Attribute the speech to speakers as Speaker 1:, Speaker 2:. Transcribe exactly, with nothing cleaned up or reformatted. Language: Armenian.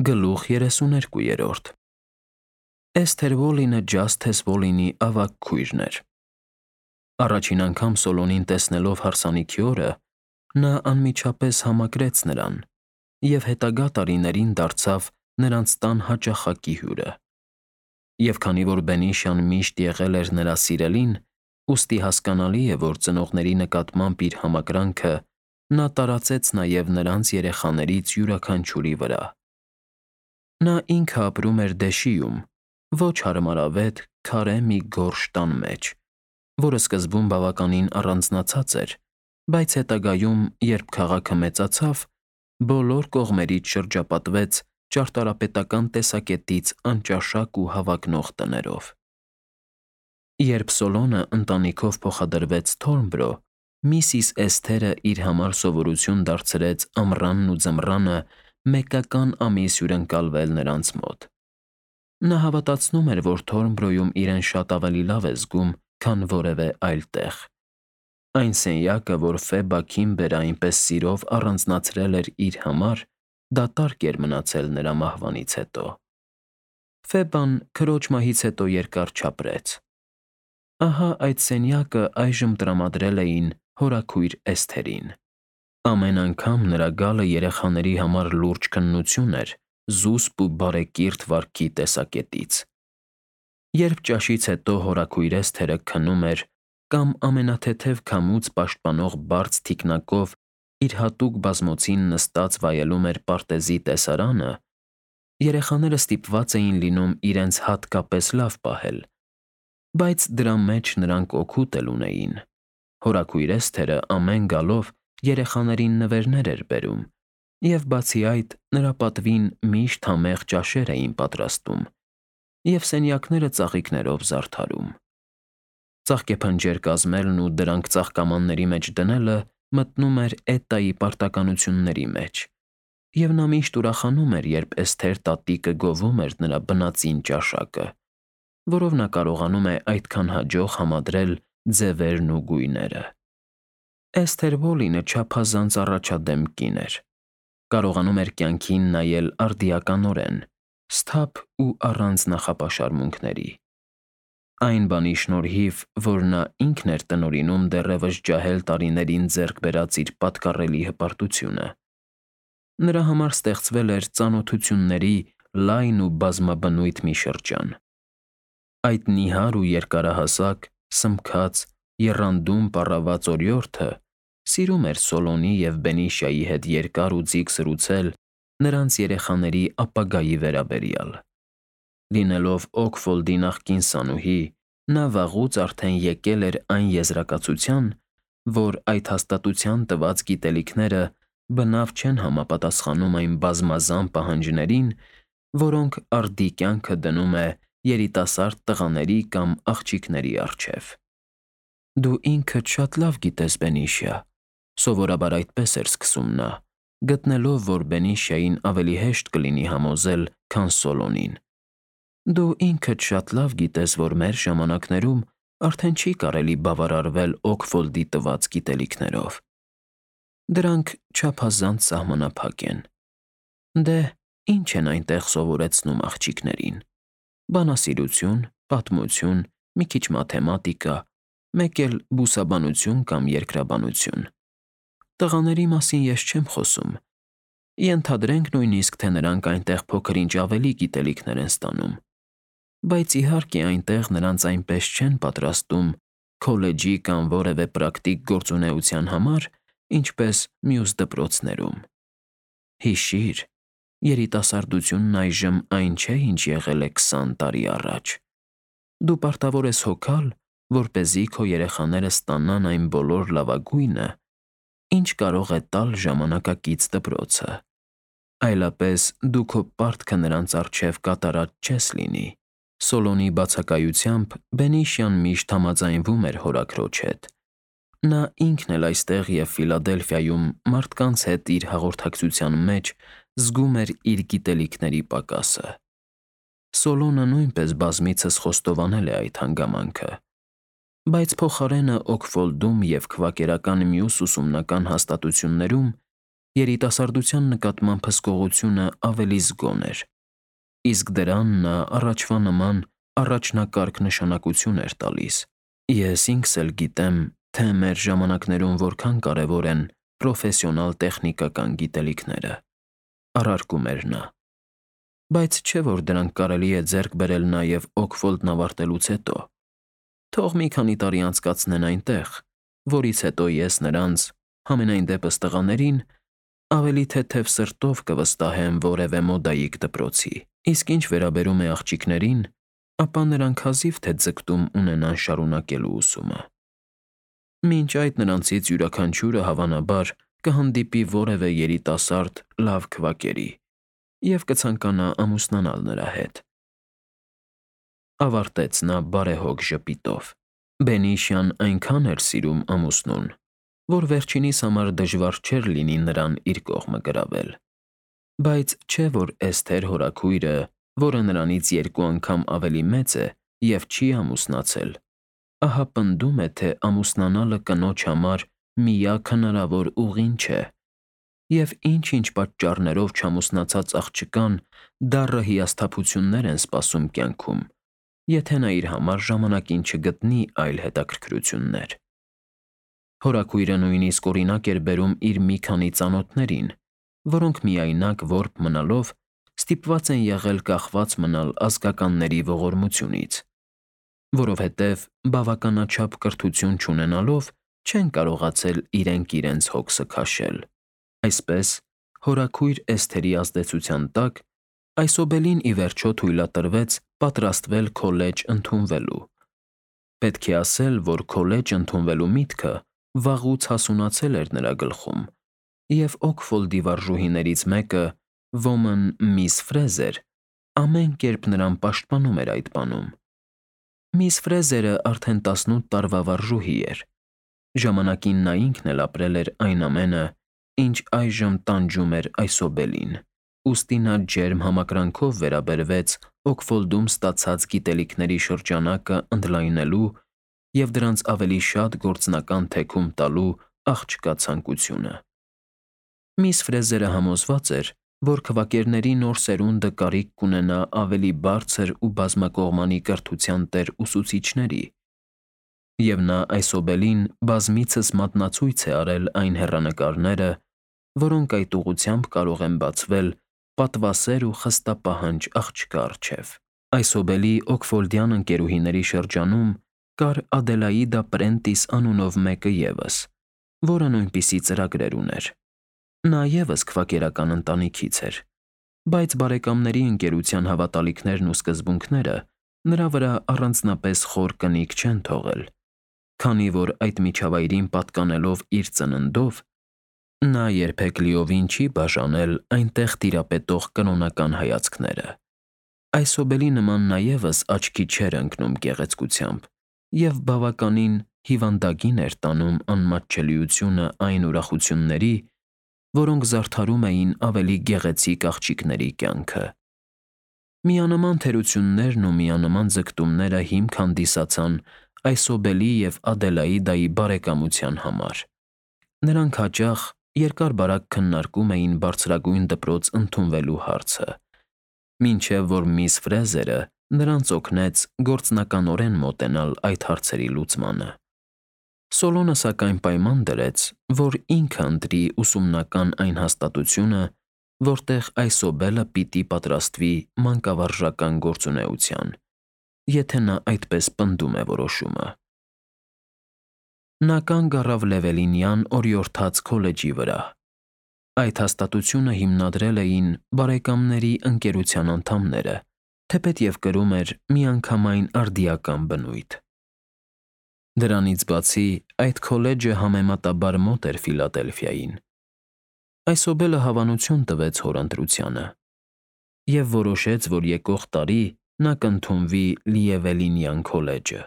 Speaker 1: Գլուխ երեսուներկուերորդ Էսթեր Վոլինը Ջասթես Վոլինի ավագ քույրն էր։ Առաջին անգամ Սոլոնին տեսնելով հարսանիքի օրը, նա անմիջապես համակրեց նրան և հետագա տարիներին դարձավ նրանց տան հաճախակի հյուրը։ Եվ քանի որ Բենիշան միշտ եղել էր նրա սիրելին, ուստի հասկանալի է, որ ծնողների նկատմամբ իր համակրանքը նա տարածեց նաև նրանց երեխաներից յուրաքանչյուրի վրա։ Նա ինքը ապրում էր Դեշիում, ոչ հարմարավետ, քարե մի գորշ տան մեջ, որը սկզբում բավականին առանձնացած էր, բայց հետագայում, երբ քաղաքը մեծացավ, բոլոր կողմերից շրջապատվեց ճարտարապետական տեսակետից անճաշակ ու հավակնող տներով։ Երբ Սոլոնը ընտանիքով փոխադրվեց Թորնբրո, միսիս Էսթերը իր համար սովորություն դարձրեց ամռանն ու ձմռանը մեկական ամիս հյուրընկալվել նրանց մոտ։ Նա հավատացնում էր, որ Թորնբրոյում իրեն շատ ավելի լավ է զգում, քան որևէ այլ տեղ։ Այն սենյակը, որ Ֆեբա Քիմբերը այնպես սիրով առանձնացրել էր իր համար, դատարկ էր մնացել նրա մահվանից հետո։ Ֆեբան քրոջ մահից հետո երկար չապրեց։ Ահա այդ սենյակը այժմ տրամադրել էին հորաքույր Էսթերին։ Ամեն անգամ նրա գալը երեխաների համար լուրջ քննություն էր զուսպ ու բարեկիրթ վարքի տեսակետից։ Երբ ճաշից հետո հորաքույր Էսթերը քնում էր կամ ամենաթեթև քամուց պաշտպանող բարձ թիկնակով իր հատուկ բազմոցին նստած վայելում էր պարտեզի տեսարանը, երեխաները ստիպված էին լինում իրենց հատկապես լավ պահել, բայց դրա մեջ նրանք օգուտ էլ ունեին։ Հորաքույր Էսթերը ամեն գալով երեխաներին նվերներ էր բերում, և բացի այդ, նրա պատվին միշտ համեղ ճաշեր էին պատրաստում, և սենյակները ծաղիկներով զարդարում։ Ծաղկեփնջեր կազմելն ու դրանք ծաղկամանների մեջ դնելը մտնում էր Էտայի պարտականությունների մեջ, և նա միշտ ուրախանում էր, երբ Էսթեր տատիկը գովում էր նրա բնածին ճաշակը, որով նա կարողանում է այդքան հաջող համադրել ձևերն ու գույները։ Էսթեր Վոլինը չափազանց առաջադեմ կին էր։ Կարողանում էր կյանքին նայել արդիականորեն, սթափ ու առանց նախապաշարմունքների։ Այն բանի շնորհիվ, որ նա ինքն էր տնօրինում դեռևս ջահել տարիներին ձեռք բերած իր պատկառելի հպարտությունը։ Նրա համար ստեղծվել էր ծանոթությունների լայն ու բազմաբնույթ մի շրջան։ Այդ նիհար ու երկարահասակ, սմքած, եռանդուն պառավված օրիորդը սիրում էր Սոլոնի և Բենիշայի հետ երկար ու ձիգ զրուցել նրանց երեխաների ապագայի վերաբերյալ։ Լինելով Օքֆոլդի նախկին սանուհի, նա վաղուց արդեն եկել էր այն եզրակացության, որ այդ հաստատության տված գիտելիքները բնավ չեն համապատասխանում այն բազմազան պահանջներին, որոնք արդի կյանքը դնում է երիտասարդ տղաների կամ աղջիկների առջև։ Դու ինքդ շատ լավ գիտես, Բենիշիա, սովորաբար այդպես էր սկսում նա, գտնելով, որ Բենիշիային ավելի հեշտ կլինի համոզել, քան Սոլոնին։ Դու ինքդ շատ լավ գիտես, որ մեր ժամանակներում արդեն չի կարելի բավարարվել Օքֆոլդի տված գիտելիքներով։ Դրանք չափազանց սահմանափակ են։ Դե, ի՞նչ են այնտեղ սովորեցնում աղջիկներին։ Բանասիրություն, պատմություն, մի քիչ մաթեմատիկա, մեկ էլ բուսաբանություն կամ երկրաբանություն։ Տղաների մասին ես չեմ խոսում։ Ենթադրենք նույնիսկ, թե նրանք այնտեղ փոքր-ինչ ավելի գիտելիքներ են ստանում։ Բայց իհարկե այնտեղ նրանց այնպես չեն պատրաստում քոլեջի կամ որևէ պրակտիկ գործունեության համար, ինչպես մյուս դպրոցներում։ Հիշի՛ր, երիտասարդությունն այժմ այն չէ, ինչ եղել է քսան տարի առաջ։ Դու պարտավոր ես հոգալ, որպեսզի քո երեխաները ստանան այն բոլոր լավագույնը, ինչ կարող է տալ ժամանակակից դպրոցը։ Այլապես դու քո պարտքը նրանց առջև կատարած չես լինի։ Սոլոնի բացակայությամբ Բենիշյան միշտ համաձայնվում էր հորաքրոջ հետ։ Նա ինքն էլ այստեղ և Ֆիլադելֆիայում մարդկանց հետ իր հաղորդակցության մեջ զգում էր իր գիտելիքների պակասը։ Սոլոնը նույնպես բազմիցս խոստովանել է այդ հանգամանքը։ Բայց փոխարենը Օքֆոլդում և քվակերական մյուս ուսումնական հաստատություններում երիտասարդության նկատմամբ հսկողությունը ավելի զգոն էր, իսկ դրան նա առաջվա նման առաջնակարգ նշանակություն էր տալիս։ Ես ինքս էլ գիտեմ, թե մեր ժամանակներում որքան կարևոր են պրոֆեսիոնալ տեխնիկական գիտելիքները, առարկում էր նա։ Բայց չէ՞ որ դրանք կարելի է ձեռք բերել նաև Օքֆոլդն ավարտելուց հետո։ Թող մի քանի տարի անցկացնեն այնտեղ, որից հետո ես նրանց, համենայն դեպս տղաներին, ավելի թեթև սրտով կվստահեմ որևէ մոդայիկ դպրոցի, իսկ ինչ վերաբերում է աղջիկներին, ապա նրանք հազիվ թե ձգտում ունենան շարունակելու ուսումը։ Մինչ այդ նրանցից յուրաքանչյուրը հավանաբար կհանդիպի որևէ երիտասարդ լավ քվակերի և կցանկանա ամուսնանալ նրա հետ։ Ավարտեց նա բարեհոգ ժպիտով։ Բենիշյան այնքան էր սիրում ամուսնուն, որ վերջինիս համար դժվար չէր լինի նրան իր կողմը գրավել։ Բայց չէ՞ որ Էսթեր հորաքույրը, որը նրանից երկու անգամ ավելի մեծ է և չի ամուսնացել, ահա պնդում է, թե ամուսնանալը կնոջ համար միակ հնարավոր ուղին չէ, և ինչ-ինչ պատճառներով չամուսնացած աղջկան դառը հիասթափություններ են սպասում կյանքում, եթե նա իր համար ժամանակին չգտնի այլ հետաքրքրություններ։ Հորաքույրը նույնիսկ օրինակ էր բերում իր մի քանի ծանոթներին, որոնք միայնակ որբ մնալով ստիպված են եղել կախված մնալ ազգականների ողորմությունից, որովհետև բավականաչափ կրթություն չունենալով չեն կարողացել իրենք իրենց հոգսը քաշել։ Այսպես, հորաքույր Էսթերի ազդեցության տակ այսօբելին ի վերջո թույլատրվեց պատրաստվել քոլեջ ընդունվելու։ Պետք է ասել, որ քոլեջ ընդունվելու միտքը վաղուց հասունացել էր նրա գլխում, և Օքֆոլդի վարժուհիներից մեկը, ոմն միս Ֆրեզեր, ամեն կերպ նրան պաշտպանում էր այդ բանում։ Միս Ֆրեզերը արդեն տասնութ տարվա վարժուհի էր։ Ժամանակին նա ինքն էլ ապրել էր այն ամենը, ինչ այժմ տանջում էր այսօբելին, ուստի նա ջերմ համակրանքով վերաբերվեց Օքֆոլդում ստացած գիտելիքների շրջանակը ընդլայնելու և դրանց ավելի շատ գործնական թեքում տալու աղջկա ցանկությունը։ Միս Ֆրեզերը համոզված էր, որ քվակերների նոր սերունդը կարիք կունենա ավելի բարձր ու բազմակողմանի կրթության տեր ուսուցիչների, և նա այսօբելին բազմիցս մատնացույց է արել այն հեռանկարները, որոնք այդ ուղղությամբ կարող են բացվել պատվասեր ու խստապահանջ աղջկա առջև։ Այսօբելի օքֆոլդյան ընկերուհիների շրջանում կար Ադելաիդա Պրենտիս անունով մեկը ևս, որը նույնպիսի ծրագրեր ուներ։ Նա ևս քվակերական ընտանիքից էր, բայց բարեկամների ընկերության հավատալիքներն ու սկզբունքները նրա վրա առանձնապես խոր կնիկ չեն թողել, քանի որ այդ միջավայրին պատկանելով իր ծննդով, նա երբեք լիովին չի բաժանել այնտեղ տիրապետող կրոնական հայացքները։ Այսօբելի նման նա ևս աչքի չէր ընկնում գեղեցկությամբ և բավականին հիվանդագին էր տանում անմատչելիությունը այն ուրախությունների, որոնք զարդարում էին ավելի գեղեցիկ աղջիկների կյանքը։ Միանման թերություններն ու միանման ձգտումները հիմք հանդիսացան այսօբելի և Ադելաիդայի բարեկամության համար։ Նրանք հաճախ երկար֊բարակ քննարկում էին բարձրագույն դպրոց ընդունվելու հարցը, մինչև որ միս Ֆրեզերը նրանց օգնեց գործնականորեն մոտենալ այդ հարցերի լուծմանը։ Սոլոնը սակայն պայման դրեց, որ ինքը ընտրի ուսումնական այն հաստատությունը, որտեղ այսօբելը պիտի պատրաստվի մանկավարժական գործունեության, եթե նա այդպես պնդում է որոշումը։ Նա կանգ առավ Լևելինյան օրիորդաց քոլեջի վրա։ Այդ հաստատությունը հիմնադրել էին բարեկամների ընկերության անդամները, թեպետև կրում էր միանգամայն արդիական բնույթ։ Դրանից բացի, այդ քոլեջը համեմատաբար մոտ էր Ֆիլադելֆիային։ Այսօբելը հավանություն տվեց հոր ընտրությանը և որոշեց, որ եկող տարի նա կընդունվի Լիևելինյան քոլեջը։